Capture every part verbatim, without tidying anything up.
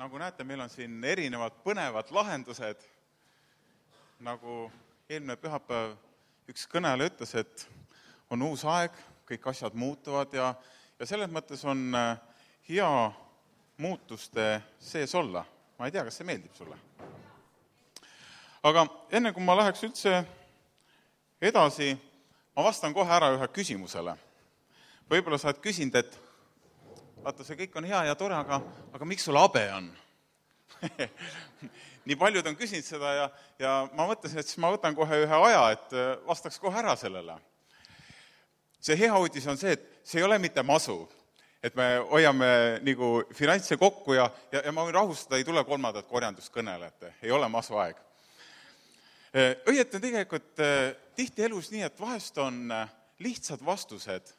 Nagu näete, meil on siin erinevad põnevad lahendused. Nagu eelmine pühapäev üks kõneleja ütles, et on uus aeg, kõik asjad muutuvad ja, ja selles mõttes on hea muutuste sees olla. Ma ei tea, kas see meeldib sulle. Aga enne kui ma läheks üldse edasi, ma vastan kohe ära ühe küsimusele. Võib-olla sa oled küsinud, et vaata, see kõik on hea ja tore, aga, aga miks sul habe on? Nii paljud on küsinud seda ja, ja ma mõtlesin, et siis ma võtan kohe ühe aja, et vastaks kohe ära sellele. See hea uudis on see, et see ei ole mitte masu, et me hoiame nagu finantse kokku ja, ja, ja ma võin rahustada, ei tule kolmandat korjanduskõnelejat, ei ole masu aeg. Õieti on tegelikult tihti elus nii, et vahest on lihtsad vastused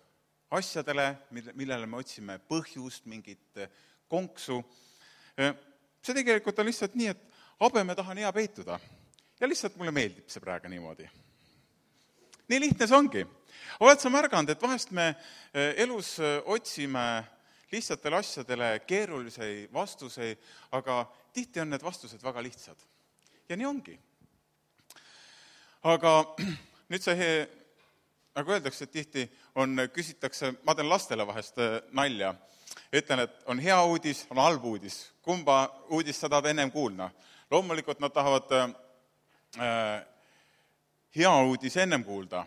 asjadele, millele me otsime põhjust, mingit konksu. See tegelikult on lihtsalt nii, et habe me tahan hea peituda. Ja lihtsalt mulle meeldib see praegu niimoodi. Nii lihtne see ongi. Oled sa märganud, et vahest me elus otsime lihtsatele asjadele keerulisi vastuseid, aga tihti on need vastused väga lihtsad. Ja nii ongi. Aga nüüd see, nagu öeldakse, et tihti on, küsitakse, ma teen lastele vahest nalja, ütlen, et on hea uudis, on halb uudis. Kumba uudis sa tahad ennem kuulda? Loomulikult nad tahavad äh, hea uudis ennem kuulda.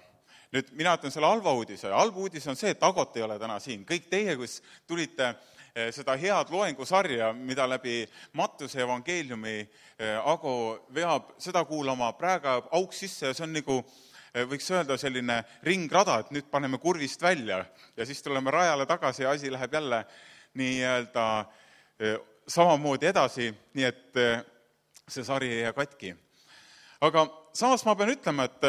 Nüüd mina ütlen selle halva uudise. Halb uudis on see, et Agot ei ole täna siin. Kõik teie, kus tulite äh, seda head loengusarja, mida läbi Mattuse evangeeliumi äh, Ago veab seda kuulama, praegu auk sisse ja see on nagu võiks öelda selline ringrada, et nüüd paneme kurvist välja ja siis tuleme rajale tagasi ja asi läheb jälle nii-öelda samamoodi edasi, nii et see sari ei jää katki. Aga samas ma pean ütlema, et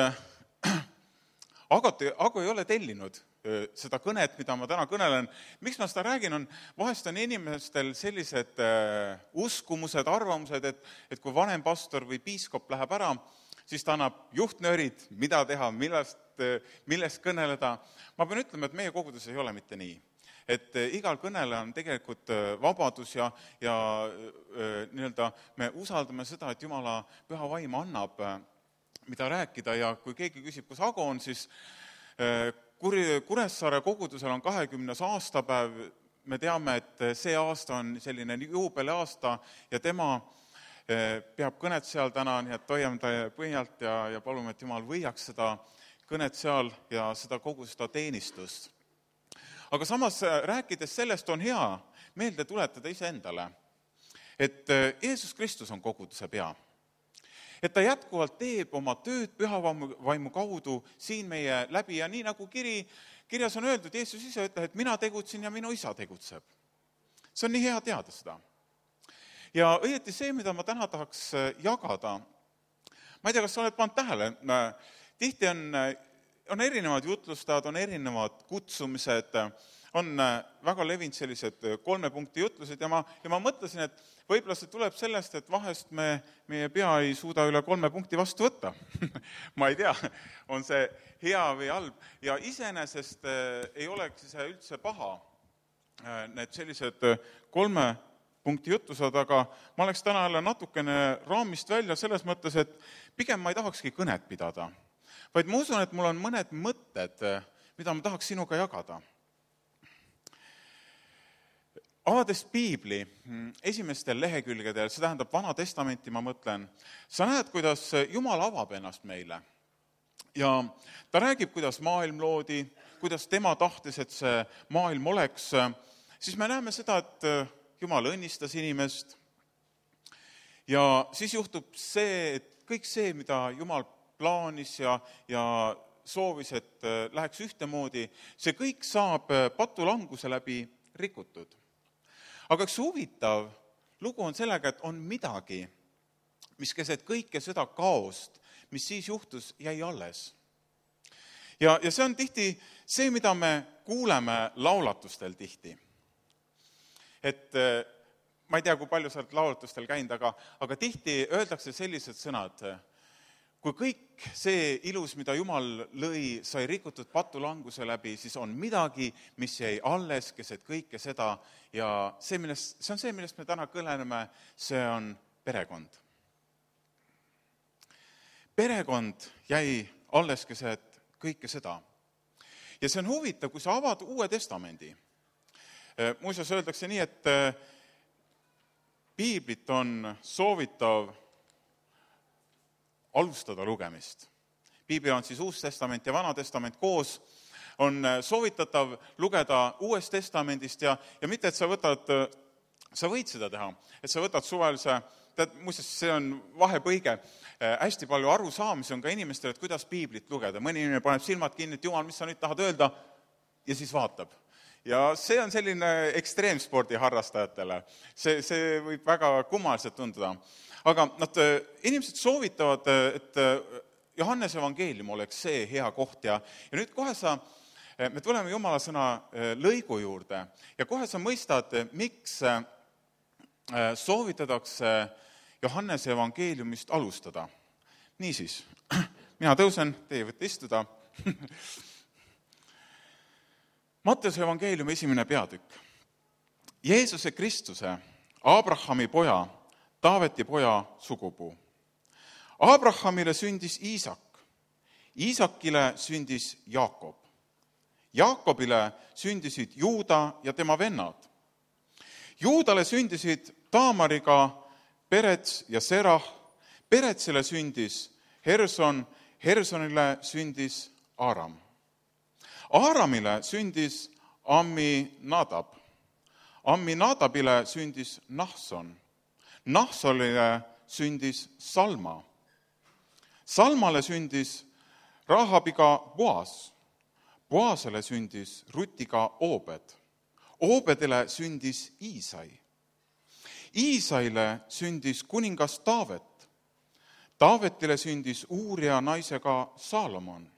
Agot, Ago ei ole tellinud seda kõnet, mida ma täna kõnelen. Miks ma seda räägin, on vahest on inimestel sellised uskumused, arvamused, et, et kui vanem pastor või piiskop läheb ära, siis ta annab juhtnöörid, mida teha, millest, millest kõneleda. Ma pean ütlema, et meie kogudus ei ole mitte nii. Et igal kõnele on tegelikult vabadus ja, ja nii-öelda me usaldame seda, et Jumala püha vaim annab, mida rääkida ja kui keegi küsib, kus Ago on, siis Kuressaare kogudusel on kahekümnes aastapäev. Me teame, et see aasta on selline juubeliaasta ja tema peab kõnet seal täna, nii et hoiame ta põhjalt ja, ja palume, et Jumal võiaks seda kõnet seal ja seda kogu seda teenistust. Aga samas rääkides sellest on hea meelde tuletada iseendale, et Jeesus Kristus on koguduse pea. Et ta jätkuvalt teeb oma tööd pühavaimu kaudu siin meie läbi ja nii nagu kiri, kirjas on öeldud, Jeesus ise ütleb, et mina tegutsin ja minu isa tegutseb. See on nii hea teada seda. Ja õieti see, mida ma täna tahaks jagada, ma ei tea, kas sa oled pannud tähele, tihti on, on erinevad jutlustajad, on erinevad kutsumised, on väga levinud sellised kolme punkti jutlused ja ma, ja ma mõtlesin, et võib-olla see tuleb sellest, et vahest me, meie pea ei suuda üle kolme punkti vastu võtta. Ma ei tea, on see hea või halb ja iseenesest ei oleks see üldse paha, need sellised kolme punkti jutused, aga ma oleks täna jälle natukene raamist välja selles mõttes, et pigem ma ei tahakski kõnet pidada, vaid ma usun, et mul on mõned mõtted, mida ma tahaks sinuga jagada. Avades piibli esimestel lehekülgedel, see tähendab Vana Testamenti, ma mõtlen, sa näed, kuidas Jumal avab ennast meile. Ja ta räägib, kuidas maailm loodi, kuidas tema tahtis, et see maailm oleks, siis me näeme seda, et Jumal õnnistas inimest ja siis juhtub see, et kõik see, mida Jumal plaanis ja, ja soovis, et läheks ühtemoodi, see kõik saab patulanguse läbi rikutud. Aga üks huvitav lugu on sellega, et on midagi, mis keset kõike seda kaost, mis siis juhtus, jäi alles. Ja, ja see on tihti see, mida me kuuleme laulatustel tihti. Et ma ei tea, kui palju sa oled laulatustel käinud, aga, aga tihti öeldakse sellised sõnad. kui kõik see ilus, mida Jumal lõi, sai rikutud patulanguse läbi, siis on midagi, mis jäi alles keset kõike seda ja see, millest, see on see, millest me täna kõleneme, see on perekond. Perekond jäi alles keset kõike seda. Ja see on huvitav, kui sa avad Uue Testamendi. Muuseas öeldakse nii, et piiblit on soovitav alustada lugemist. Piibel on siis Uus Testament ja Vana Testament koos, on soovitatav lugeda Uuest Testamendist ja, ja mitte, et sa võtad, sa võid seda teha, et sa võtad suvelise, tead, muuseas, see on vahepõige, hästi palju arusaamisi on ka inimestel, et kuidas piiblit lugeda. Mõni inimene paneb silmad kinni, et Jumal, mis sa nüüd tahad öelda, ja siis vaatab. Ja see on selline ekstreemspordi harrastajatele. See, see võib väga kummaliselt tunduda. Aga nad, inimesed soovitavad, et Johannese evangeelium oleks see hea koht ja, ja nüüd kohe sa, me tuleme Jumala sõna lõigu juurde ja kohe sa mõistad, miks soovitatakse Johannese evangeeliumist alustada. Niisiis, mina tõusen, teie võite istuda. Matteuse evangeeliumi esimene peatükk. Jeesuse Kristuse, Abrahami poja, Taaveti poja sugupuu. Abrahamile sündis Iisak, Iisakile sündis Jaakob. Jaakobile sündisid Juuda ja tema vennad. Juudale sündisid Taamariga Perets ja Serah, Peretsile sündis Herson, Hersonile sündis Aaram. Aaramile sündis Amminadab, Amminadabile sündis Nahson, Nahsolile sündis Salma. Salmale sündis Rahabiga Boas. Boasele sündis Rutiga Oobed. Oobedele sündis Iisai. Iisaile sündis kuningas Taavet. Taavetile sündis Uuria naisega Saalomon.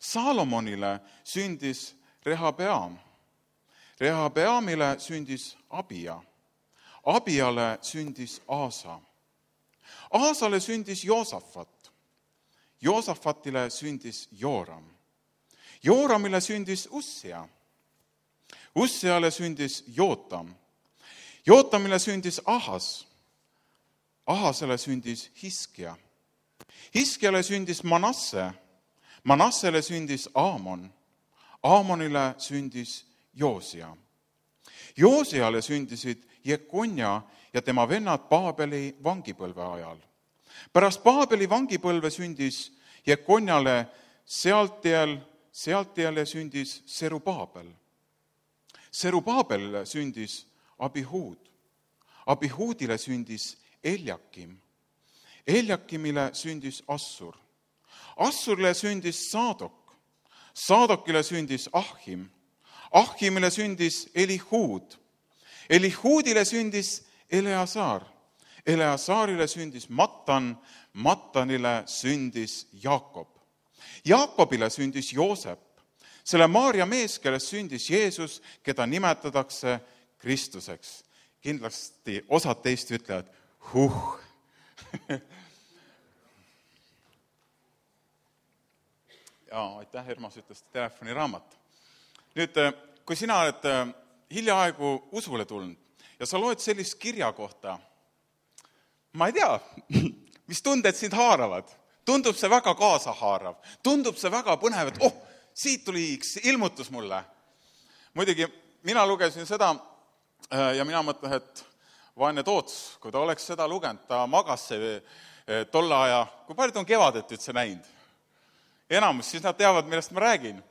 Saalomonile sündis Rehabeam. Rehabeamile sündis Abia. Abiale sündis Aasa. Aasale sündis Joosafat. Joosafatile sündis Jooram. Jooramile sündis Ussia. Ussiale sündis Jootam. Jootamile sündis Ahas. Ahasele sündis Hiskia. Hiskiale sündis Manasse. Manassele sündis Aamon. Aamonile sündis Joosia. Joosiale sündisid Jekonja ja tema vennad Paabeli vangipõlve ajal. Pärast Paabeli vangipõlve sündis Jekonjale Sealtiel, Sealtiele sündis Serubaabel. Serubaabelile sündis Abihud. Abihuudile sündis Eljakim. Eljakimile sündis Assur. Assurile sündis Saadok. Saadokile sündis Ahim. Ahimile sündis Elihud. Elihuudile sündis Eleazar. Eleazarile sündis Mattan. Mattanile sündis Jaakob. Jaakobile sündis Joosep. Selle Maaria mees, kellest sündis Jeesus, keda nimetatakse Kristuseks. Kindlasti osad teist ütlevad, huh. Jaa, aitäh, Ermas ütles telefoniraamat. Nüüd, kui sina oled hiljaaegu usule tulnud ja sa loed sellist kirja kohta, ma ei tea, mis tunded sind haaravad. Tundub see väga kaasahaarav. Tundub see väga põnev, et oh, siit tuli ilmutus mulle. Muidugi, mina lugesin seda ja mina mõtlen, et vaene Toots, kui ta oleks seda lugenud, ta magas see tolle aja, kui palju ta on kevadet üldse näinud. Enamus, siis nad teavad, millest ma räägin.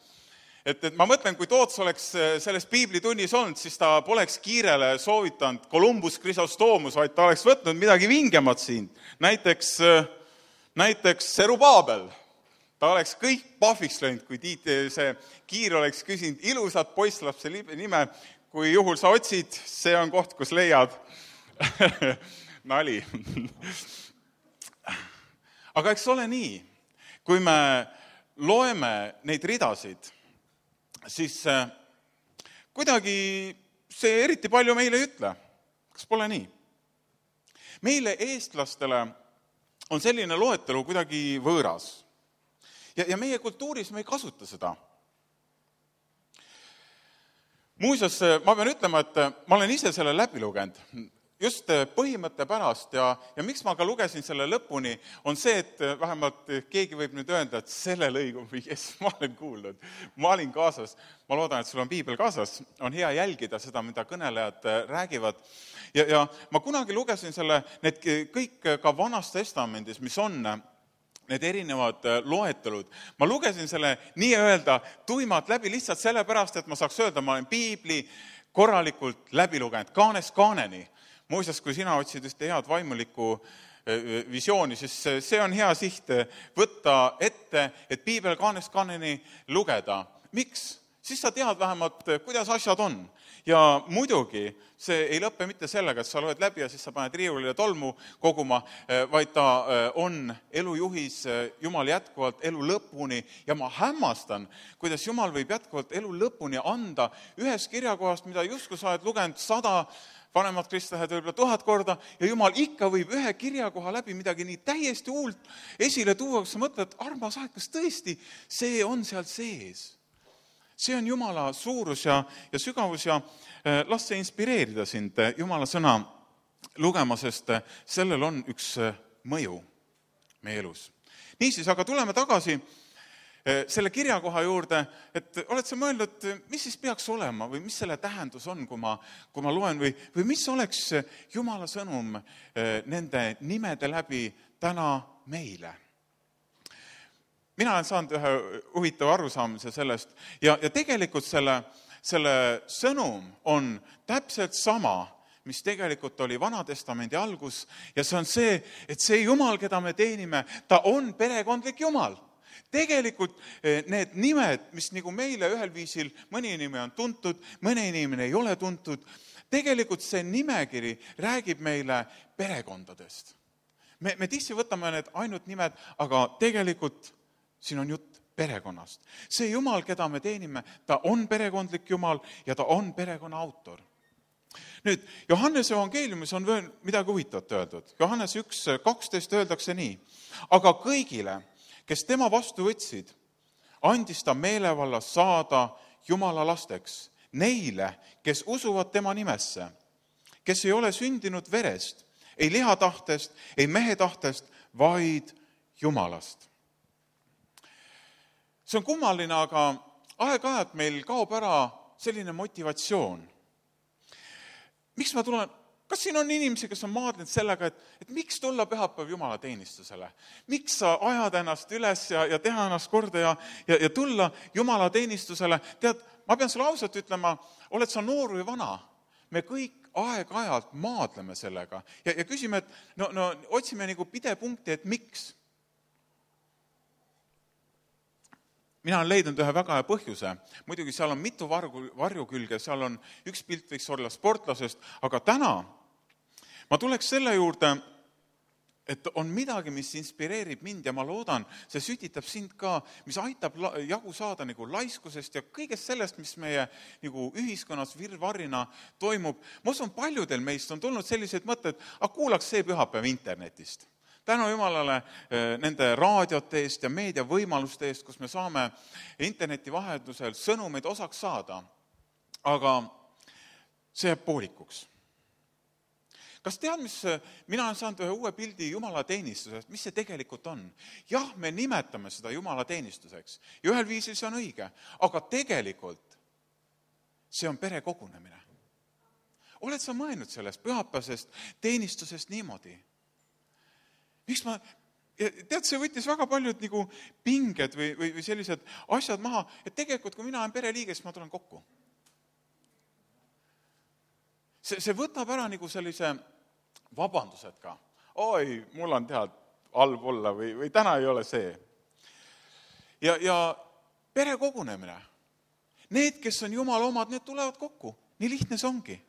Et, et ma mõtlen, kui Toots oleks selles piiblitunnis olnud, siis ta poleks kiirele soovitanud Columbus Chrysostomos, vaid ta oleks võtnud midagi vingemat siin. Näiteks, näiteks Serubaabel. Ta oleks kõik pahviks löinud, kui Tiit see kiir oleks küsinud ilusat poisslapse nime, kui juhul sa otsid, see on koht, kus leiad. Nali. Aga eks ole nii, kui me loeme neid ridasid, siis kuidagi see eriti palju meile ei ütle. Kas pole nii? Meile eestlastele on selline loetelu kuidagi võõras. Ja, ja meie kultuuris me ei kasuta seda. Muuseas, ma pean ütlema, et ma olen ise selle läbi lugenud. Just põhimõtte pärast ja, ja miks ma ka lugesin selle lõpuni, on see, et vähemalt keegi võib nüüd öelda, et selle lõigu või kes ma olen kuulnud. Ma olin kaasas, ma loodan, et sul on piibel kaasas, on hea jälgida seda, mida kõnelejad räägivad. Ja, ja ma kunagi lugesin selle, need kõik ka Vanas Testamendis, mis on need erinevad loetelud. Ma lugesin selle nii-öelda tuimalt läbi lihtsalt sellepärast, et ma saaks öelda, ma olen piibli korralikult läbi lugenud, kaanest kaaneni. Muuseas, kui sina otsid ühte head vaimulikku visiooni, siis see on hea siht võtta ette, et piibel kaanest kaaneni lugeda. Miks? Siis sa tead vähemalt, kuidas asjad on. Ja muidugi see ei lõppe mitte sellega, et sa loed läbi ja siis sa paned riiulile tolmu koguma, vaid ta on elujuhis Jumal jätkuvalt elu lõpuni. Ja ma hämmastan, kuidas Jumal võib jätkuvalt elu lõpuni anda ühes kirjakohast, mida justkui sa oled lugenud sada vanemad kristlased võib-olla tuhat korda ja Jumal ikka võib ühe kirjakoha läbi midagi nii täiesti uult esile tuua, kus sa mõtled, armas aeg, kas tõesti see on seal sees? See on Jumala suurus ja, ja sügavus ja eh, las see inspireerida sind Jumala sõna lugema, sest sellel on üks mõju meie elus. Niisiis, aga tuleme tagasi selle kirjakoha juurde, et oled sa mõelnud, mis siis peaks olema või mis selle tähendus on, kui ma, kui ma loen või, või mis oleks Jumala sõnum nende nimede läbi täna meile. Mina olen saanud ühe huvitava arusaamise sellest ja, ja tegelikult selle, selle sõnum on täpselt sama, mis tegelikult oli Vanatestamendi algus ja see on see, et see Jumal, keda me teenime, ta on perekondlik Jumal. Tegelikult need nimed, mis nagu meile ühel viisil, mõni inimene on tuntud, mõni inimene ei ole tuntud, tegelikult see nimekiri räägib meile perekondadest. Me, me tihti võtame need ainult nimed, aga tegelikult siin on jutt perekonnast. See Jumal, keda me teenime, ta on perekondlik Jumal ja ta on perekonna autor. Nüüd, Johannese evangeeliumis on veel midagi huvitavat öeldud. Johannes üks kaksteist öeldakse nii, aga kõigile, kes tema vastu võtsid, andis ta meelevalla saada Jumala lasteks, neile, kes usuvad tema nimesse, kes ei ole sündinud verest, ei lihatahtest, ei mehe tahtest, vaid Jumalast. See on kummaline, aga aeg-ajalt meil kaob ära selline motivatsioon. Miks ma tulen? Kas siin on inimesi, kes on maadlenud sellega, et, et miks tulla pühapäev Jumala teenistusele? Miks sa ajad ennast üles ja, ja teha ennast korda ja, ja, ja tulla Jumala teenistusele? Tead, ma pean sulle ausalt ütlema, oled sa noor või vana? Me kõik aeg-ajalt maadleme sellega ja, ja küsime, et no, no, otsime nagu pidepunkti, et miks? Mina olen leidnud ühe väga hea põhjuse. Muidugi seal on mitu vargu, varjukülge, seal on üks pilt võiks olla sportlasest, aga täna ma tuleks selle juurde, et on midagi, mis inspireerib mind ja ma loodan, see sütitab sind ka, mis aitab jagu saada nagu laiskusest ja kõigest sellest, mis meie nagu ühiskonnas virvarrina toimub. Ma usun, paljudel meist on tulnud sellised mõtted, aga kuulaks see pühapäev internetist. Tänu Jumalale nende raadiote eest ja meediavõimaluste eest, kus me saame interneti vahetusel sõnumeid osaks saada. Aga see jääb poolikuks. Kas tead, mis mina olen saanud ühe uue pildi Jumala teenistusest, mis see tegelikult on? Jah, me nimetame seda Jumala teenistuseks ja ühel viisil see on õige, aga tegelikult see on perekogunemine. Oled sa mõelnud sellest pühapäevasest teenistusest niimoodi? Miks ma, tead, see võttis väga paljud nagu pinged või, või, või sellised asjad maha, et tegelikult, kui mina olen pereliige, siis ma tulen kokku. See, see võtab ära nagu sellise vabandused ka. Oi, mul on tead halb olla või, või täna ei ole see. Ja, ja perekogunemine. Need, kes on Jumala omad, need tulevad kokku. Nii lihtne see ongi.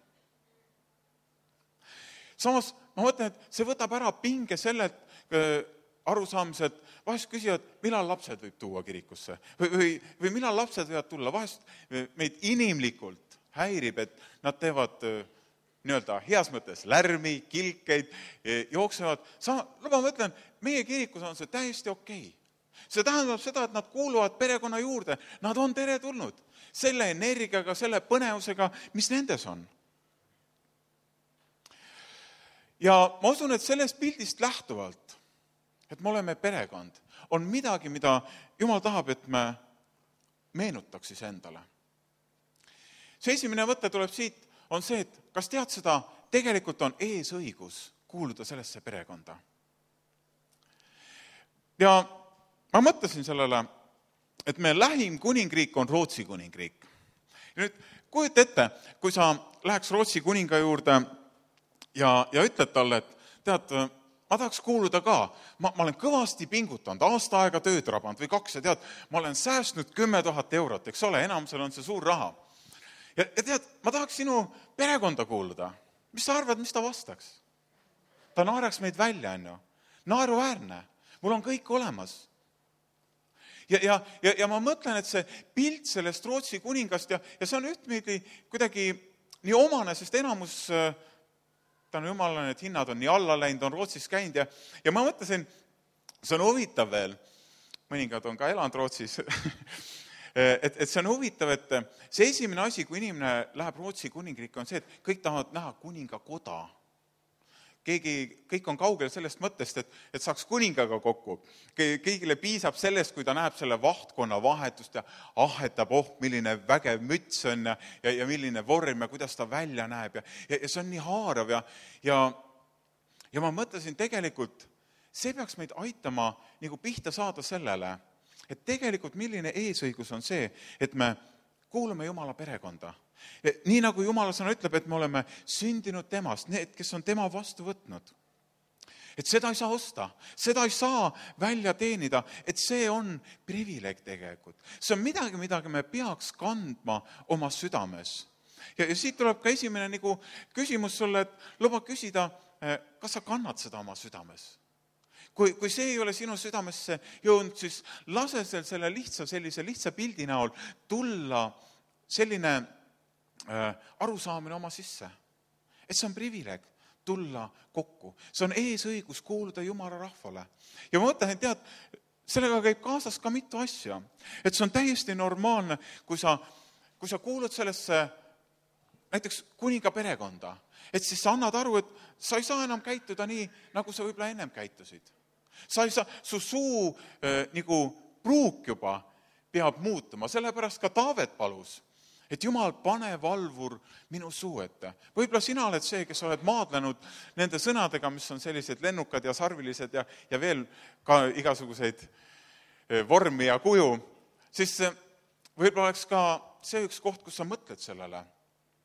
Samas, ma mõtlen, et see võtab ära pinge sellelt arusaamised, vahest küsivad, millal lapsed võib tuua kirikusse või, või, või millal lapsed võivad tulla. Vahest meid inimlikult häirib, et nad teevad nii-öelda heas mõttes lärmi, kilkeid, jooksevad. Sa, luba ma ütlen, meie kirikus on see täiesti okei. See tähendab seda, et nad kuuluvad perekonna juurde. Nad on teretulnud selle energiaga, selle põnevusega, mis nendes on. Ja ma usun, et sellest pildist lähtuvalt, et me oleme perekond, on midagi, mida Jumal tahab, et me meenutaks siis endale. See esimene mõte tuleb siit, on see, et kas tead seda, tegelikult on eesõigus kuuluda sellesse perekonda. Ja ma mõtlesin sellele, et meie lähim kuningriik on Rootsi kuningriik. Ja nüüd kujuta ette, kui sa läheks Rootsi kuninga juurde ja, ja ütled talle, et tead, ma tahaks kuuluda ka, ma, ma olen kõvasti pingutanud, aasta aega tööd rabanud või kaks ja tead, ma olen säästnud kümme tuhat eurot, eks ole, enamusel on see suur raha. Ja, ja tead, ma tahaks sinu perekonda kuuluda. Mis sa arvad, mis ta vastaks? Ta naeraks meid välja, on ju. Naeruväärne. Mul on kõik olemas. Ja, ja, ja, ja ma mõtlen, et see pilt sellest Rootsi kuningast ja, ja see on ühtmeidi kuidagi nii omane, sest enamus, tänu jumalale, et hinnad on nii alla läinud, on Rootsis käinud ja, ja ma mõtlesin, see on huvitav veel, mõningad on ka elanud Rootsis, et, et see on huvitav, et see esimene asi, kui inimene läheb Rootsi kuningriiki, on see, et kõik tahavad näha kuninga koda. Keegi, kõik on kaugel sellest mõttest, et, et saaks kuningaga kokku. Kõigile piisab sellest, kui ta näeb selle vahtkonna vahetust ja ahetab, oh, milline vägev müts on ja, ja, ja milline vorm ja kuidas ta välja näeb. Ja, ja, ja see on nii haarav ja, ja, ja ma mõtlesin tegelikult, see peaks meid aitama nagu pihta saada sellele, et tegelikult milline eesõigus on see, et me kuulume Jumala perekonda. Nii nagu Jumala sõna ütleb, et me oleme sündinud temast, need, kes on tema vastu võtnud. Et seda ei saa osta, seda ei saa välja teenida, et see on privileeg tegelikult. See on midagi, midagi me peaks kandma oma südames. Ja, ja siit tuleb ka esimene nagu küsimus sulle, et luba küsida, kas sa kannad seda oma südames? Kui, kui see ei ole sinu südamesse jõudnud, siis lase selle lihtsa, sellise lihtsa pildi näol tulla selline äh, arusaamine oma sisse. Et see on privileeg tulla kokku. See on eesõigus kuuluda Jumala rahvale. Ja ma mõtlen, et tead, sellega käib kaasas ka mitu asja. Et see on täiesti normaalne, kui sa, kui sa kuulud sellesse näiteks kuninga perekonda. Et siis sa annad aru, et sa ei saa enam käituda nii, nagu sa võib-olla ennem käitusid. Sa ei saa, su suu äh, nagu pruuk juba peab muutuma, sellepärast ka Taavet palus, et Jumal, pane valvur minu suu ette. Võib-olla sina oled see, kes oled maadlenud nende sõnadega, mis on sellised lennukad ja sarvilised ja, ja veel ka igasuguseid äh, vormi ja kuju, siis äh, võib-olla oleks ka see üks koht, kus sa mõtled sellele,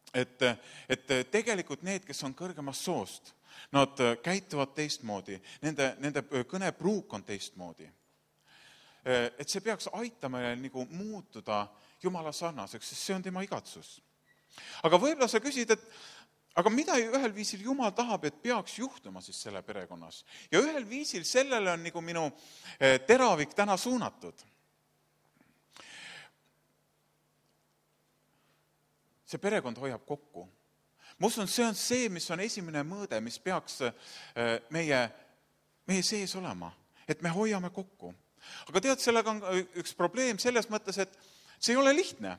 et, et tegelikult need, kes on kõrgemast soost, nad käituvad teistmoodi, nende, nende kõnepruuk on teistmoodi. Et see peaks aitama nagu muutuda Jumala sarnaseks, sest see on tema igatsus. Aga võib-olla sa küsid, et aga mida ühel viisil Jumal tahab, et peaks juhtuma siis selle perekonnas? Ja ühel viisil sellele on nagu minu teravik täna suunatud. See perekond hoiab kokku. Ma usun, see on see, mis on esimene mõõde, mis peaks meie, meie sees olema, et me hoiame kokku. Aga tead, sellega on üks probleem selles mõttes, et see ei ole lihtne.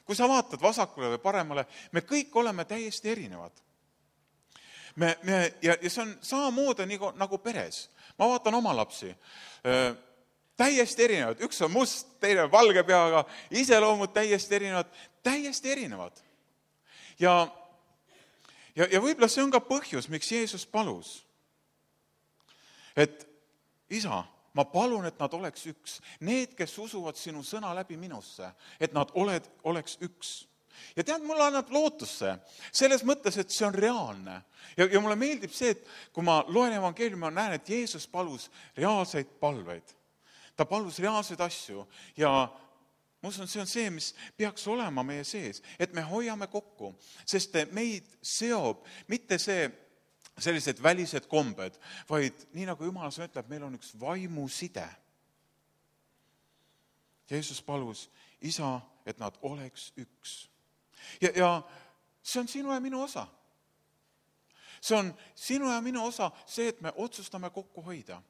Kui sa vaatad vasakule või paremale, me kõik oleme täiesti erinevad. Me, me, ja, ja see on samamoodi nagu, nagu peres. Ma vaatan oma lapsi. Täiesti erinevad. Üks on must, teine on valge peaga, iseloomud täiesti erinevad. Täiesti erinevad. Ja Ja, ja võib-olla see on ka põhjus, miks Jeesus palus. Et isa, ma palun, et nad oleks üks. Need, kes usuvad sinu sõna läbi minusse, et nad oled, oleks üks. Ja tead, mulle annab lootusse selles mõttes, et see on reaalne. Ja, ja mulle meeldib see, et kui ma loen evangeeliumi, ma näen, et Jeesus palus reaalseid palveid. Ta palus reaalseid asju ja ma usun, see on see, mis peaks olema meie sees, et me hoiame kokku, sest meid seob mitte see sellised välised kombed, vaid nii nagu Jumal sõna ütleb, meil on üks vaimuside. Jeesus palus, isa, et nad oleks üks. Ja, ja see on sinu ja minu osa. See on sinu ja minu osa, see, et me otsustame kokku hoida.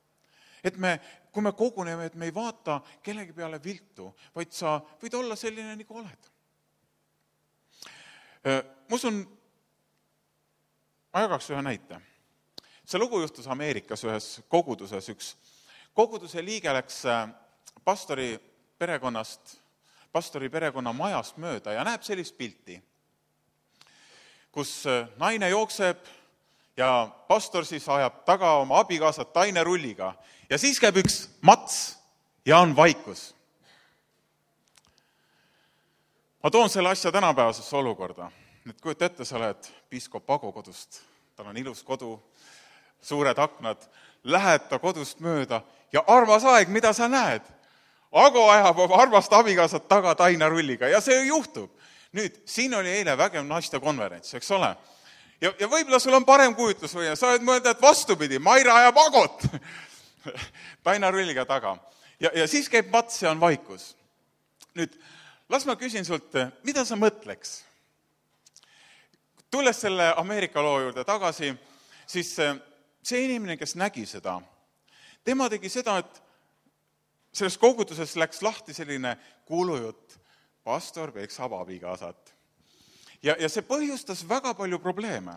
Et me, kui me koguneme, et me ei vaata kellegi peale viltu, vaid sa võid olla selline, nagu oled. Ma usun, ma jagaks ühe näite. See lugu juhtus Ameerikas ühes koguduses. Üks koguduse liige läks pastori perekonnast, pastori perekonna majast mööda ja näeb sellist pilti, kus naine jookseb ja pastor siis ajab taga oma abikaasat tainerulliga ja siis käib üks mats ja on vaikus. Ma toon selle asja tänapäevasesse olukorda. Nüüd kujuta ette, sa oled piiskop Ago kodust, tal on ilus kodu, suured aknad, lähed ta kodust mööda ja armas aeg, mida sa näed? Ago ajab oma armast abikaasat taga tainerulliga ja see juhtub. Nüüd, siin oli eile vägev naiste konverents, eks ole? Ja, ja võib-olla sul on parem kujutlus või sa oled mõelda, et vastupidi, Maira ajab Agot tainerulliga taga. Ja, ja siis käib mats ja on vaikus. Nüüd, las ma küsin sult, mida sa mõtleks? Tulles selle Ameerika loo juurde tagasi, siis see inimene, kes nägi seda, tema tegi seda, et selles koguduses läks lahti selline kuulujutt, pastor peksab abikaasat. Ja, ja see põhjustas väga palju probleeme.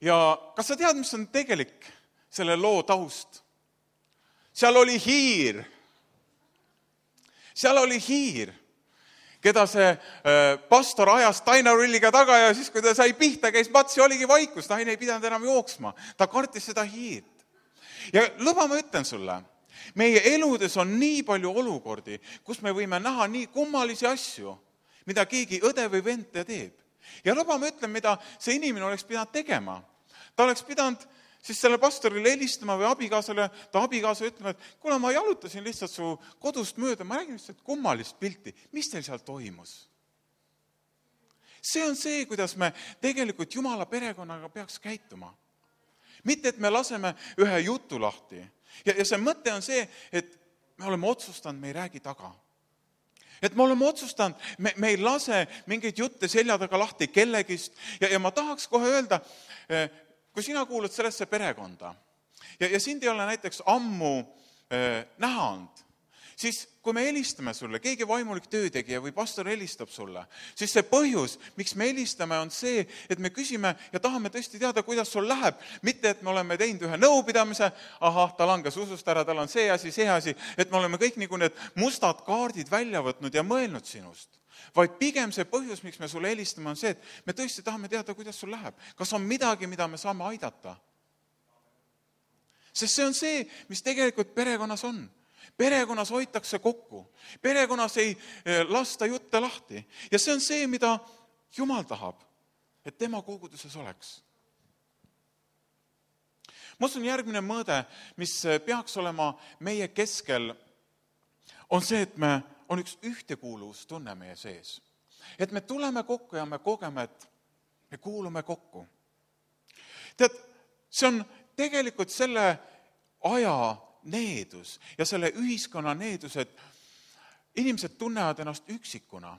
Ja kas sa tead, mis on tegelik selle loo taust? Seal oli hiir. Seal oli hiir, keda see pastor ajas tainerulliga taga ja siis, kui ta sai pihta, käis mats ja oligi vaikus, naine ei pidanud enam jooksma. Ta kartis seda hiirt. Ja lõba ma ütlen sulle, meie eludes on nii palju olukordi, kus me võime näha nii kummalisi asju, mida keegi õde või vend teeb. Ja lõba ma ütlen, mida see inimene oleks pidanud tegema. Ta oleks pidanud siis selle pastorile helistama või abikaasale, ta abikaasa ütlema, et kuule, ma jalutasin lihtsalt su kodust mööda, ma räägin lihtsalt kummalist pilti. Mis teil seal toimus? See on see, kuidas me tegelikult Jumala perekonnaga peaks käituma. Mitte, et me laseme ühe jutu lahti. Ja, ja see mõte on see, et me oleme otsustanud, me ei räägi taga. Et me oleme otsustanud, me, me ei lase mingeid jutte selja taga lahti kellegist. Ja, ja ma tahaks kohe öelda, kui sina kuulud sellesse perekonda ja, ja sind ei ole näiteks ammu äh, näha olnud, siis kui me helistame sulle, keegi vaimulik töötegija või pastor helistab sulle, siis see põhjus, miks me helistame, on see, et me küsime ja tahame tõesti teada, kuidas sul läheb. Mitte, et me oleme teinud ühe nõupidamise, ahah, ta langes usust ära, tal on see asi, see asi, et me oleme kõik nagu need mustad kaardid välja võtnud ja mõelnud sinust. Vaid pigem see põhjus, miks me sulle helistame, on see, et me tõesti tahame teada, kuidas sul läheb. Kas on midagi, mida me saame aidata? Sest see on see, mis tegelikult perekonnas on. Perekonnas hoitakse kokku. Perekonnas ei lasta jutte lahti. Ja see on see, mida Jumal tahab, et tema koguduses oleks. Ma usun, järgmine mõõde, mis peaks olema meie keskel, on see, et me on üks ühtekuuluvustunne meie sees. Et me tuleme kokku ja me kogeme, et me kuulume kokku. Tead, see on tegelikult selle aja needus ja selle ühiskonna needus, et inimesed tunnevad ennast üksikuna.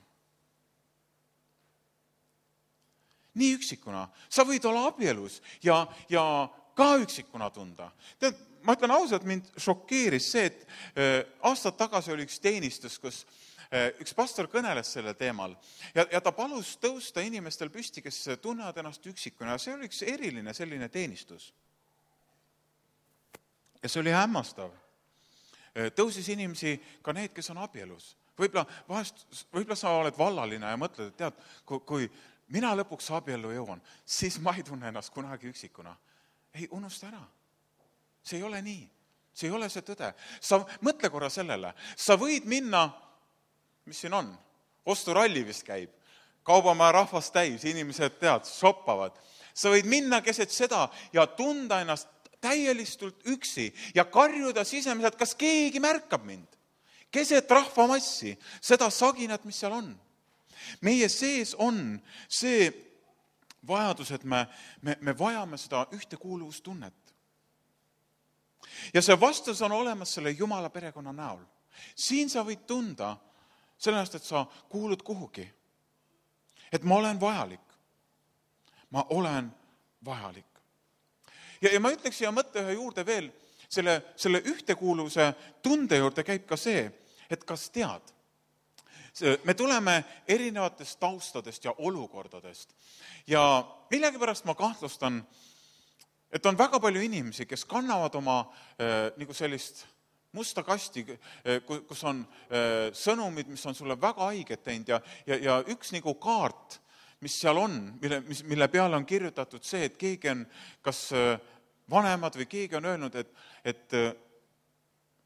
Nii üksikuna. Sa võid olla abielus ja, ja ka üksikuna tunda. Tead, ma ütlen ausalt, mind šokeeris see, et aastad tagasi oli üks teenistus, kus üks pastor kõneles selle teemal ja, ja ta palus tõusta inimestel püsti, kes tunnevad ennast üksikuna. See oli üks eriline selline teenistus. Ja see oli hämmastav. Tõusis inimesi ka need, kes on abielus. Võib-olla, vahest, võib-olla sa oled vallaline ja mõtled, et tead, kui, kui mina lõpuks abiellu jõuan, siis ma ei tunne ennast kunagi üksikuna. Ei, unusta ära. See ei ole nii. See ei ole see tõde. Sa mõtle korra sellele. Sa võid minna, mis siin on? Osturalli vist käib. Kaubamaja rahvast täis, inimesed tead, shoppavad. Sa võid minna keset seda ja tunda ennast täielistult üksi ja karjuda sisemiselt, kas keegi märkab mind. Keset rahvamassi, seda saginat, mis seal on. Meie sees on see vajadus, et me, me, me vajame seda ühtekuuluvustunnet. Ja see vastus on olemas selle Jumala perekonna näol. Siin sa võid tunda sellest, et sa kuulud kuhugi. Et ma olen vajalik. Ma olen vajalik. ja, ja ma ütleks siia mõtte ühe juurde veel, selle, selle ühtekuuluvuse tunde juurde käib ka see, et kas tead, me tuleme erinevatest taustadest ja olukordadest ja millegipärast ma kahtlustan, et on väga palju inimesi, kes kannavad oma äh, nagu sellist musta kasti, kus on äh, sõnumid, mis on sulle väga haiget teinud ja, ja, ja üks nagu kaart, mis seal on, mille, mis, mille peale on kirjutatud see, et keegi on kas äh, vanemad või keegi on öelnud, et, et äh,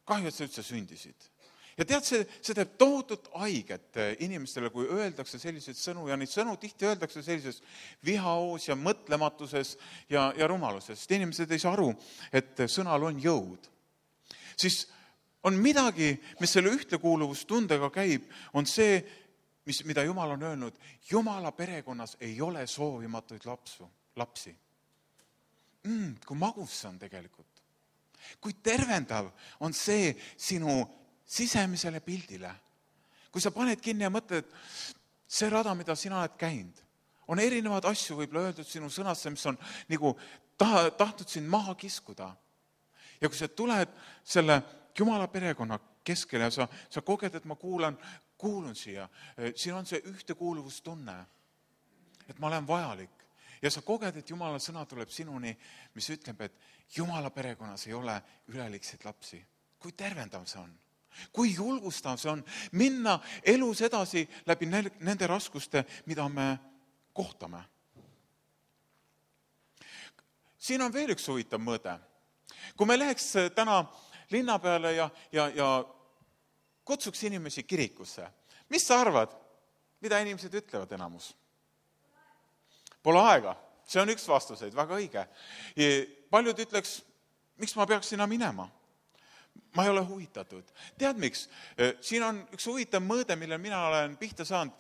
kahju, et sa üldse sündisid. Ja tead, see, see teeb tohutut haiget inimestele, kui öeldakse selliseid sõnu ja neid sõnu tihti öeldakse sellises vihaoos ja mõtlematuses ja, ja rumaluses. Sest inimesed ei saa aru, et sõnal on jõud. Siis on midagi, mis selle ühtekuuluvustundega käib, on see, mis, mida Jumal on öelnud. Jumala perekonnas ei ole soovimatuid lapsu, lapsi. Mm, kui magus see on tegelikult. Kui tervendav on see sinu sisemisele pildile. Kui sa paned kinni ja mõtled, see rada, mida sina oled käinud, on erinevad asju võib-olla öeldud sinu sõnasse, mis on nagu taha, tahtnud sind maha kiskuda. Ja kui sa tuled selle Jumala perekonna keskele ja sa, sa koged, et ma kuulan, kuulun siia, siin on see ühtekuuluvustunne, et ma olen vajalik. Ja sa koged, et Jumala sõna tuleb sinuni, mis ütleb, et Jumala perekonnas ei ole ülelikseid lapsi. Kui tervendav see on? Kui julgustav see on minna elus edasi läbi nende raskuste, mida me kohtame. Siin on veel üks huvitav mõõde. Kui me läheks täna linna peale ja, ja, ja kutsuks inimesi kirikusse, mis sa arvad, mida inimesed ütlevad enamus? Pole aega. See on üks vastuseid, väga õige. Ja paljud ütleks, miks ma peaks sinna minema? Ma ei ole huvitatud. Tead miks? Siin on üks huvitav mõõde, mille mina olen pihta saanud.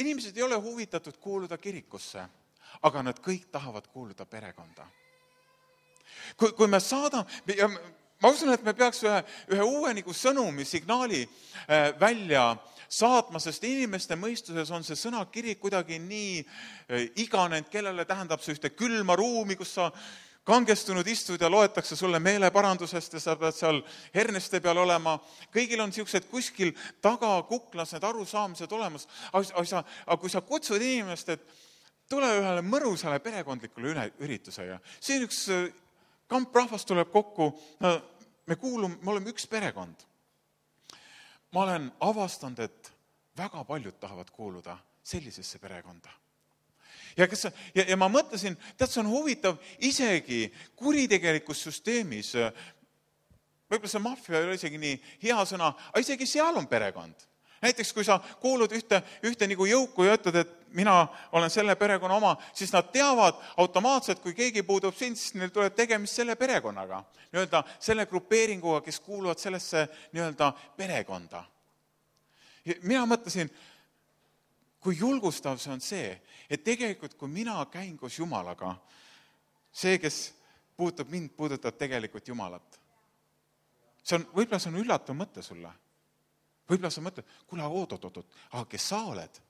Inimesed ei ole huvitatud kuuluda kirikusse, aga nad kõik tahavad kuuluda perekonda. Kui, kui me saadame, ja ma usun, et me peaks ühe, ühe uue nagu sõnumi, signaali välja saatma, sest inimeste mõistuses on see sõna kirik kuidagi nii iganenud, kellele tähendab see ühte külma ruumi, kus sa kangestunud istud ja loetakse sulle meeleparandusest ja sa pead seal herneste peal olema. Kõigil on siuksed kuskil taga kuklas need arusaamised olemas. Aga, aga kui sa kutsud inimest, et tule ühele mõrusale perekondlikule ürituse ja siin üks kamp rahvast tuleb kokku, no, me kuulume, me oleme üks perekond. Ma olen avastanud, et väga paljud tahavad kuuluda sellisesse perekonda. Ja, kes, ja, ja ma mõtlesin, tead, see on huvitav, isegi kuritegelikus süsteemis, võib-olla see maffia ei ole isegi nii hea sõna, aga isegi seal on perekond. Näiteks, kui sa kuulud ühte, ühte nagu jõuku ja ütled, et mina olen selle perekonna oma, siis nad teavad automaatselt, kui keegi puudub sind, siis neil tuleb tegemist selle perekonnaga. Nii-öelda selle grupeeringuga, kes kuuluvad sellesse nii-öelda perekonda. Ja mina mõtlesin, kui julgustav see on see, et tegelikult kui mina käin koos Jumalaga, see, kes puutub mind, puudutab tegelikult Jumalat. See on, võib-olla see on üllatav mõte sulle. Võib-olla sa mõtled, kuule, oot, oot, oot, aga kes sa oled?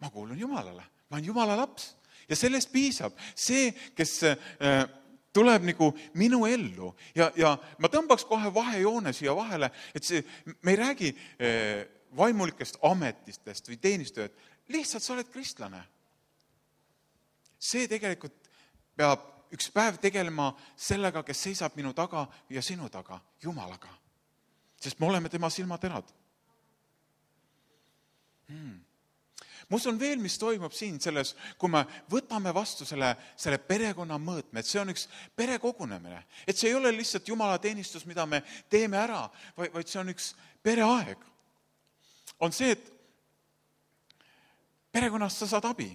Ma kuulun Jumalale, ma olen Jumala laps ja sellest piisab. See, kes äh, tuleb nagu minu ellu ja, ja ma tõmbaks kohe vahejoone siia vahele, et see, me ei räägi äh, vaimulikest ametistest või teenistööd, lihtsalt sa oled kristlane. See tegelikult peab üks päev tegelema sellega, kes seisab minu taga ja sinu taga, Jumalaga. Sest me oleme tema silmaterad. Hmm. Mus on veel, mis toimub siin selles, kui me võtame vastu selle, selle perekonna mõõtme, et see on üks perekogunemine. Et see ei ole lihtsalt Jumala teenistus, mida me teeme ära, vaid, vaid see on üks pereaeg. On see, et perekonnast sa saad abi.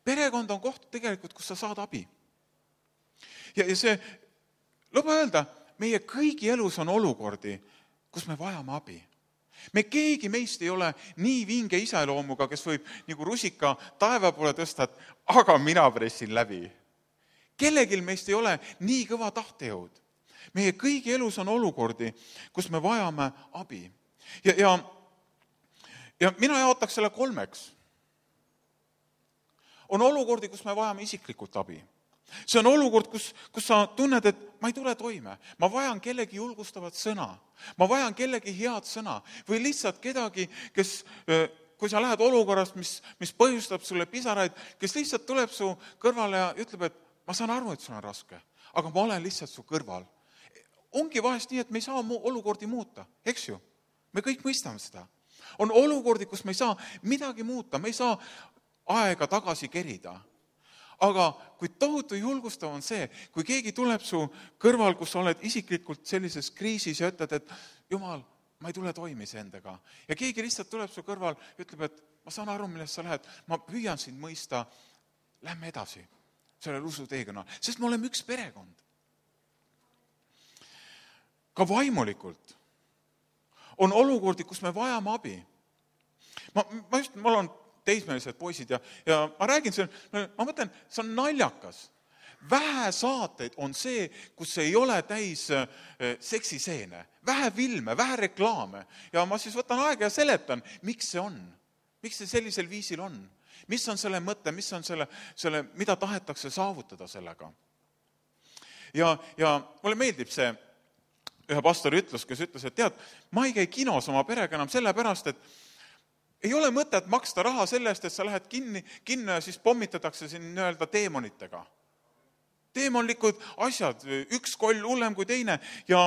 Perekond on koht tegelikult, kus sa saad abi. Ja, ja see, luba öelda, meie kõigi elus on olukordi, kus me vajame abi. Me keegi meist ei ole nii vinge iseloomuga, kes võib nagu rusika taeva poole tõsta, aga mina pressin läbi. Kellegil meist ei ole nii kõva tahtejõud. Meie kõigi elus on olukordi, kus me vajame abi. Ja, ja, ja mina jaotaks selle kolmeks. on olukordi, kus me vajame isiklikult abi. See on olukord, kus, kus sa tunned, et ma ei tule toime. Ma vajan kellegi julgustavat sõna. Ma vajan kellegi head sõna. Või lihtsalt kedagi, kes, kui sa lähed olukorrast, mis, mis põhjustab sulle pisaraid, kes lihtsalt tuleb su kõrvale ja ütleb, et ma saan aru, et sul on raske, aga ma olen lihtsalt su kõrval. Ongi vahest nii, et me ei saa olukordi muuta, eks ju? Me kõik mõistame seda. On olukordi, kus me ei saa midagi muuta, me ei saa aega tagasi kerida. Aga kui tohutu julgustav on see, kui keegi tuleb su kõrval, kus sa oled isiklikult sellises kriisis ja ütled, et Jumal, ma ei tule toimis endaga. Ja keegi lihtsalt tuleb su kõrval ja ütleb, et ma saan aru, millest sa lähed, ma püüan sind mõista, lähme edasi sellel usuteekonna, sest me oleme üks perekond. Ka vaimulikult on olukordi, kus me vajame abi. Ma, ma just, mul on teismelised poisid ja, ja ma räägin selle, ma mõtlen, see on naljakas. Vähe saateid on see, kus ei ole täis seksiseene, vähe filme, vähe reklaame. Ja ma siis võtan aega ja seletan, miks see on, miks see sellisel viisil on, mis on selle mõte, mis on selle, selle mida tahetakse saavutada sellega. Ja, ja mulle meeldib see ühe pastori ütlus, kes ütles, et tead, ma ei käi kinos oma perega enam sellepärast, et ei ole mõtet maksta raha selle eest, et sa lähed kinni, kinno ja siis pommitatakse siin nii-öelda teemonitega. Teemonlikud asjad, üks koll hullem kui teine ja,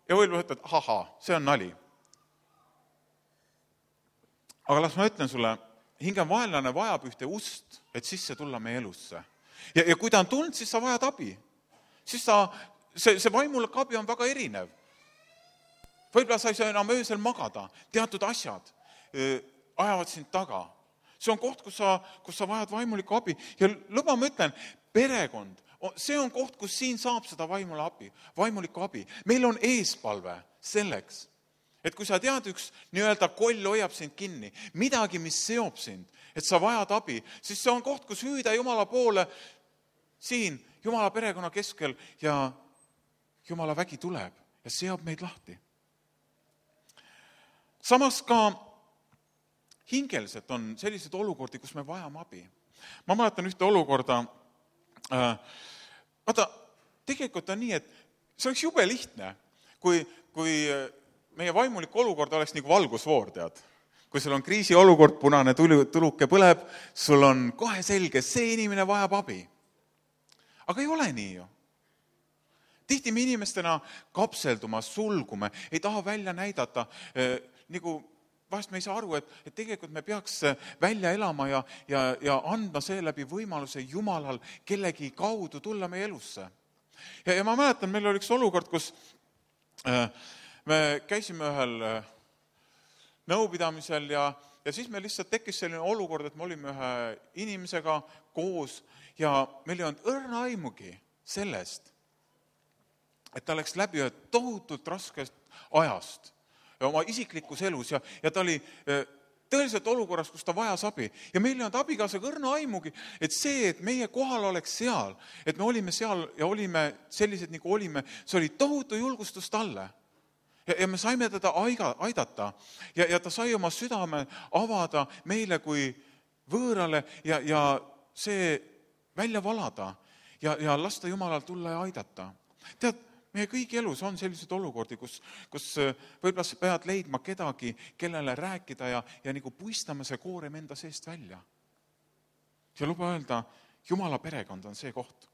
ja võib-olla ütled, ahaa, see on nali. Aga las ma ütlen sulle, hinge vaenlane vajab ühte ust, et sisse tulla meie elusse. Ja, ja kui ta on tulnud, siis sa vajad abi. Siis ta, see, see vaimulik abi on väga erinev. Võib-olla sa ei saa enam öösel magada, teatud asjad ajavad sind taga. See on koht, kus sa, kus sa vajad vaimulikku abi. Ja luba ma ütlen, perekond, see on koht, kus siin saab seda vaimule abi, vaimulikku abi. Meil on eespalve selleks, et kui sa tead, üks nii-öelda koll hoiab sind kinni, midagi, mis seob sind, et sa vajad abi, siis see on koht, kus hüüda Jumala poole siin, Jumala perekonna keskel ja Jumala vägi tuleb ja seob meid lahti. Samas ka hingeliselt on sellised olukordi, kus me vajame abi. Ma mäletan ühte olukorda, äh, vaata, tegelikult on nii, et see oleks jube lihtne, kui, kui meie vaimulik olukord oleks nagu valgusvoor, tead. Kui sul on kriisiolukord, punane tuluke põleb, sul on kohe selge, see inimene vajab abi. Aga ei ole nii ju. Tihti me inimestena kapselduma, sulgume, ei taha välja näidata, äh, nagu vahest me ei saa aru, et, et tegelikult me peaks välja elama ja, ja, ja andma seeläbi võimaluse Jumalal kellegi kaudu tulla meie elusse. Ja, ja ma mäletan, meil oli üks olukord, kus äh, me käisime ühel äh, nõupidamisel ja, ja siis meil lihtsalt tekkis selline olukord, et me olime ühe inimesega koos ja meil ei olnud õrna aimugi sellest, et ta läks läbi ühe tohutult raskest ajast oma isiklikus elus ja, ja ta oli tõeliselt olukorras, kus ta vajas abi. Ja meil ei olnud abikaasaga õrna aimugi, et see, et meie kohal oleks seal, et me olime seal ja olime sellised, nagu olime, see oli tohutu julgustus talle. Ja, ja me saime teda aiga, aidata ja, ja ta sai oma südame avada meile kui võõrale ja, ja see välja valada ja, ja lasta Jumalal tulla ja aidata. Tead, meie kõigi elus on sellised olukordi, kus, kus võib-olla sa pead leidma kedagi, kellele rääkida ja, ja nagu puistama see koorem enda seest välja. Ja luba öelda, Jumala perekond on see koht.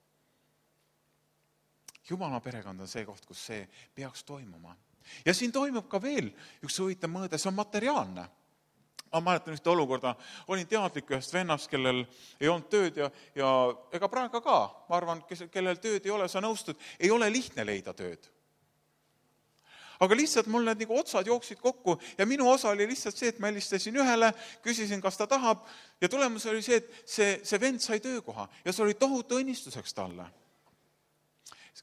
Jumala perekond on see koht, kus see peaks toimuma. Ja siin toimub ka veel üks huvitav mõõde, see on materiaalne. Ma mäletan ühte olukorda, olin teadlik ühest vennast, kellel ei olnud tööd ja, ja ega praegu ka, ma arvan, kellel tööd ei ole, sa nõustud, ei ole lihtne leida tööd. Aga lihtsalt mul need nagu otsad jooksid kokku ja minu osa oli lihtsalt see, et ma helistasin ühele, küsisin, kas ta tahab ja tulemus oli see, et see, see vend sai töökoha ja see oli tohutu õnnistuseks talle.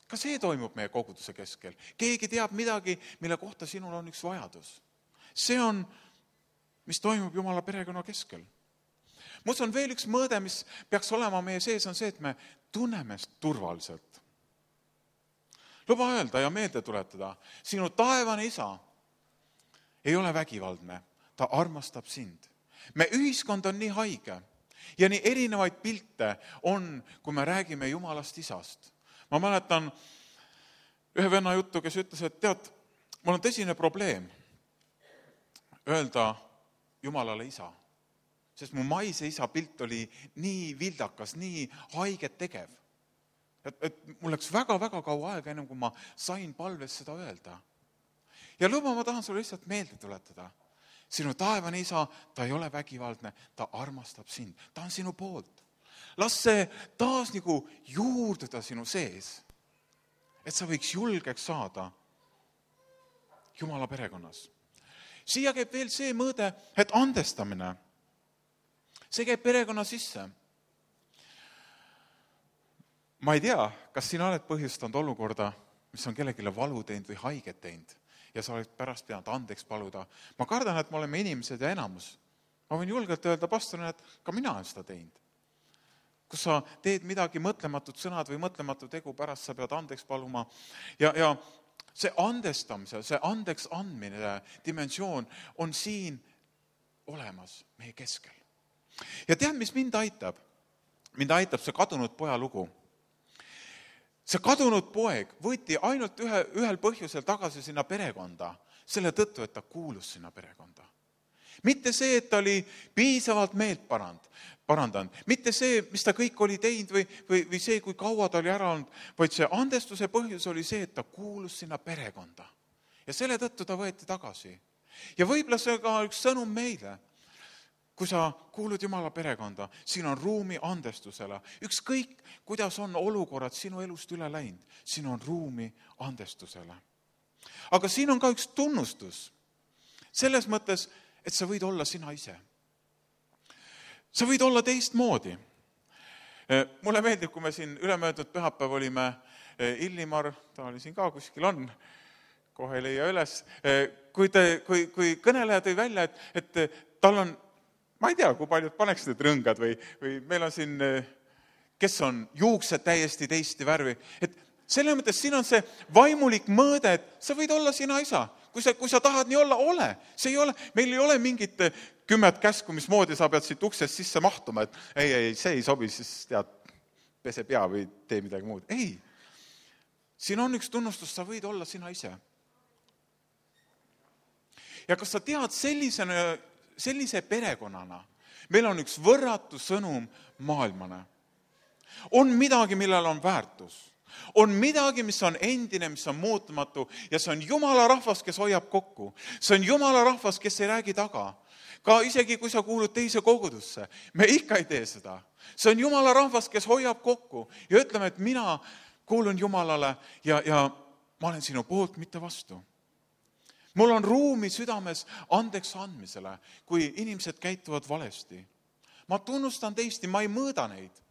Ka see toimub meie koguduse keskel. Keegi teab midagi, mille kohta sinul on üks vajadus. See on mis toimub Jumala perekonna keskel. Mus on veel üks mõõde, mis peaks olema meie sees, on see, et me tunneme turvaliselt. Luba öelda ja meelde tuletada, sinu taevane isa ei ole vägivaldne, ta armastab sind. Me ühiskond on nii haige Ja nii erinevaid pilte on, kui me räägime Jumalast Isast. Ma mäletan ühe venna juttu, kes ütles, et tead, mul on tõsine probleem öelda Jumalale Isa. Sest mu maise isa pilt oli nii vildakas, nii haiget tegev. Et, et mul läks väga-väga kaua aega, ennem kui ma sain palves seda öelda. Ja lõba ma tahan sulle lihtsalt meelde tuletada. Sinu taevane isa, ta ei ole vägivaldne, ta armastab sind, ta on sinu poolt. Las see taas nagu juurduda sinu sees, et sa võiks julgeks saada Jumala perekonnas. Siia käib veel see mõõde, et andestamine, see käib perekonna sisse. Ma ei tea, kas sina oled põhjustanud olukorda, mis on kellegile valu teinud või haiget teinud ja sa oled pärast pidanud andeks paluda. Ma kardan, et me oleme inimesed ja enamus. Ma võin julgelt öelda pastorina, et ka mina olen seda teinud. Kus sa teed midagi mõtlematut sõnad või mõtlematu tegu, pärast sa pead andeks paluma. Ja, ja see andestamise, see andeks andmine dimensioon on siin olemas meie keskel. Ja tead, mis mind aitab? Mind aitab see kadunud poja lugu. See kadunud poeg võeti ainult ühe, ühel põhjusel tagasi sinna perekonda, selle tõttu, et ta kuulus sinna perekonda. Mitte see, et ta oli piisavalt meelt parand, parandanud, mitte see, mis ta kõik oli teinud või, või, või see, kui kaua ta oli ära olnud, vaid see andestuse põhjus oli see, et ta kuulus sinna perekonda. Ja selle tõttu ta võeti tagasi. Ja võib-olla see ka üks sõnum meile. Kui sa kuulud Jumala perekonda, siin on ruumi andestusele. Ükskõik, kuidas on olukorrad sinu elust üle läinud, siin on ruumi andestusele. Aga siin on ka üks tunnustus. Selles mõttes, et sa võid olla sina ise. Sa võid olla teistmoodi. Mulle meeldib, kui me siin ülemöödud pühapäev olime Illimar, ta oli siin ka kuskil on, kohe ei leia üles, kui, te, kui, kui kõneleja tõi välja, et, et tal on ma ei tea, kui paljud paneks need rõngad või, või meil on siin, kes on juuksed täiesti teiste värvi. Et selle mõttes siin on see vaimulik mõõde, et sa võid olla sina isa. Kui sa, kui sa tahad nii olla, ole. See ei ole, meil ei ole mingit kümmet käsku, mis moodi sa pead siit uksest sisse mahtuma, et ei, ei, see ei sobi, siis tead, pese pea või tee midagi muud. Ei, siin on üks tunnustus, sa võid olla sina ise. Ja kas sa tead sellisena sellise perekonnana, meil on üks võrratu sõnum maailmane. On midagi, millel on väärtus. On midagi, mis on endine, mis on muutumatu ja see on Jumala rahvas, kes hoiab kokku. See on Jumala rahvas, kes ei räägi taga. Ka isegi, kui sa kuulud teise kogudusse, me ikka ei tee seda. See on Jumala rahvas, kes hoiab kokku ja ütleme, et mina kuulun Jumalale ja, ja ma olen sinu poolt, mitte vastu. Mul on ruumi südames andeks andmisele, kui inimesed käituvad valesti. Ma tunnustan teist, ma ei mõõda neid.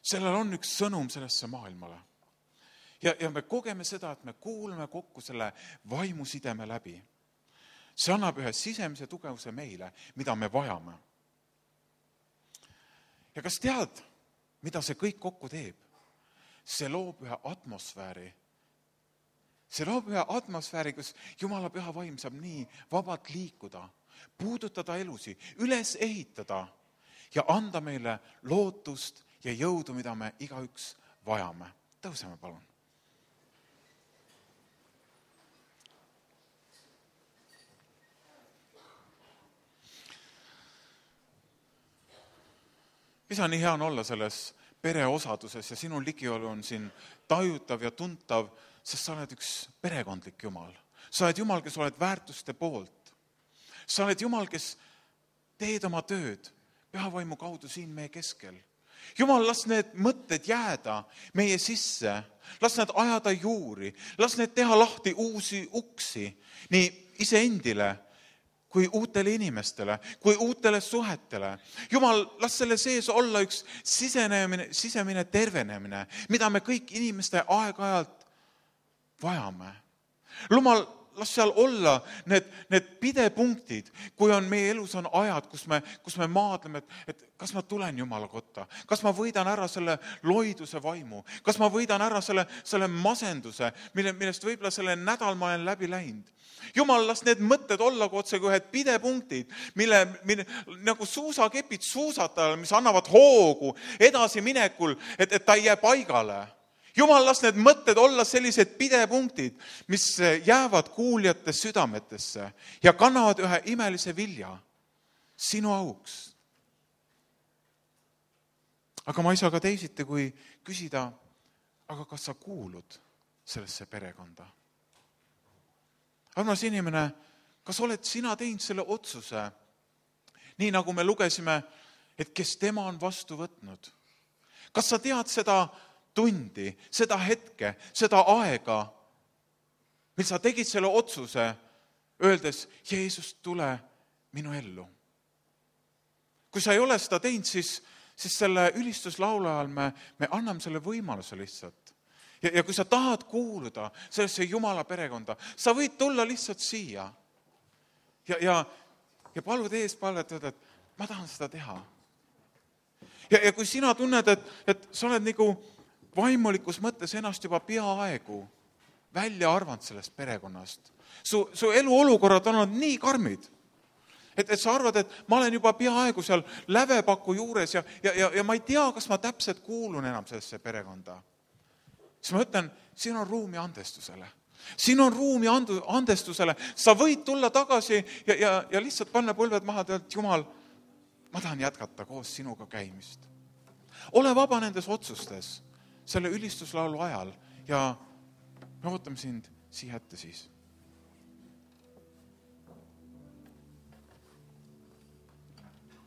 Sellel on üks sõnum sellesse maailmale. Ja, ja me kogeme seda, et me kuulame kokku selle vaimusideme läbi. See annab ühe sisemise tugevuse meile, mida me vajame. Ja kas tead, mida see kõik kokku teeb? See loob ühe atmosfääri. See loob ühe atmosfääri, kus Jumala püha vaim saab nii vabalt liikuda, puudutada elusi, üles ehitada ja anda meile lootust ja jõudu, mida me igaüks vajame. Tõuseme, palun. Isa, nii hea on olla selles pereosaduses ja sinu ligiolu on siin tajutav ja tuntav, sest sa oled üks perekondlik Jumal. Sa oled Jumal, kes oled väärtuste poolt. Sa oled Jumal, kes teed oma tööd pühavaimu kaudu siin meie keskel. Jumal, las need mõtted jääda meie sisse, las need ajada juuri, las need teha lahti uusi uksi nii iseendile kui uutele inimestele, kui uutele suhetele. Jumal, las selle sees olla üks sisenemine, sisemine tervenemine, mida me kõik inimeste aeg-ajalt vajame. Jumal, las seal olla need, need pidepunktid, kui on meie elus on ajad, kus me, kus me maadleme, et, et kas ma tulen Jumala kotta, kas ma võidan ära selle loiduse vaimu, kas ma võidan ära selle, selle masenduse, mille, millest võib-olla selle nädal ma olen läbi läinud. Jumal, las need mõtted olla kui otse kui ühed pidepunktid, mille, mille nagu suusakepid suusatajale, mis annavad hoogu edasi minekul, et, et ta ei jää paigale. Jumal, las need mõtted olla sellised pidepunktid, mis jäävad kuuljate südametesse ja kannavad ühe imelise vilja sinu auks. Aga ma ei saa ka teisiti, kui küsida, aga kas sa kuulud sellesse perekonda? Armas inimene, kas oled sina teinud selle otsuse, nii nagu me lugesime, et kes tema on vastu võtnud? Kas sa tead seda tundi, seda hetke, seda aega, mil sa tegid selle otsuse, öeldes, Jeesus, tule minu ellu. Kui sa ei ole seda teinud, siis, siis selle ülistuslaulu ajal me, me anname selle võimaluse lihtsalt. Ja, ja kui sa tahad kuuluda sellesse Jumala perekonda, sa võid tulla lihtsalt siia ja, ja, ja palud ees palvet, et ma tahan seda teha. Ja, ja kui sina tunned, et, et sa oled nagu vaimulikus mõttes ennast juba peaaegu välja arvanud sellest perekonnast. Su, su eluolukorrad on olnud nii karmid, et, et sa arvad, et ma olen juba peaaegu seal lävepaku juures ja, ja, ja, ja ma ei tea, kas ma täpselt kuulun enam sellesse perekonda. Siis ma ütlen, siin on ruumi andestusele. Siin on ruumi andu, andestusele. Sa võid tulla tagasi ja, ja, ja lihtsalt panna põlved maha, et Jumal, ma tahan jätkata koos sinuga käimist. Ole vaba nendes otsustes selle ülistuslaulu ajal ja me ootame sind siia ette siis.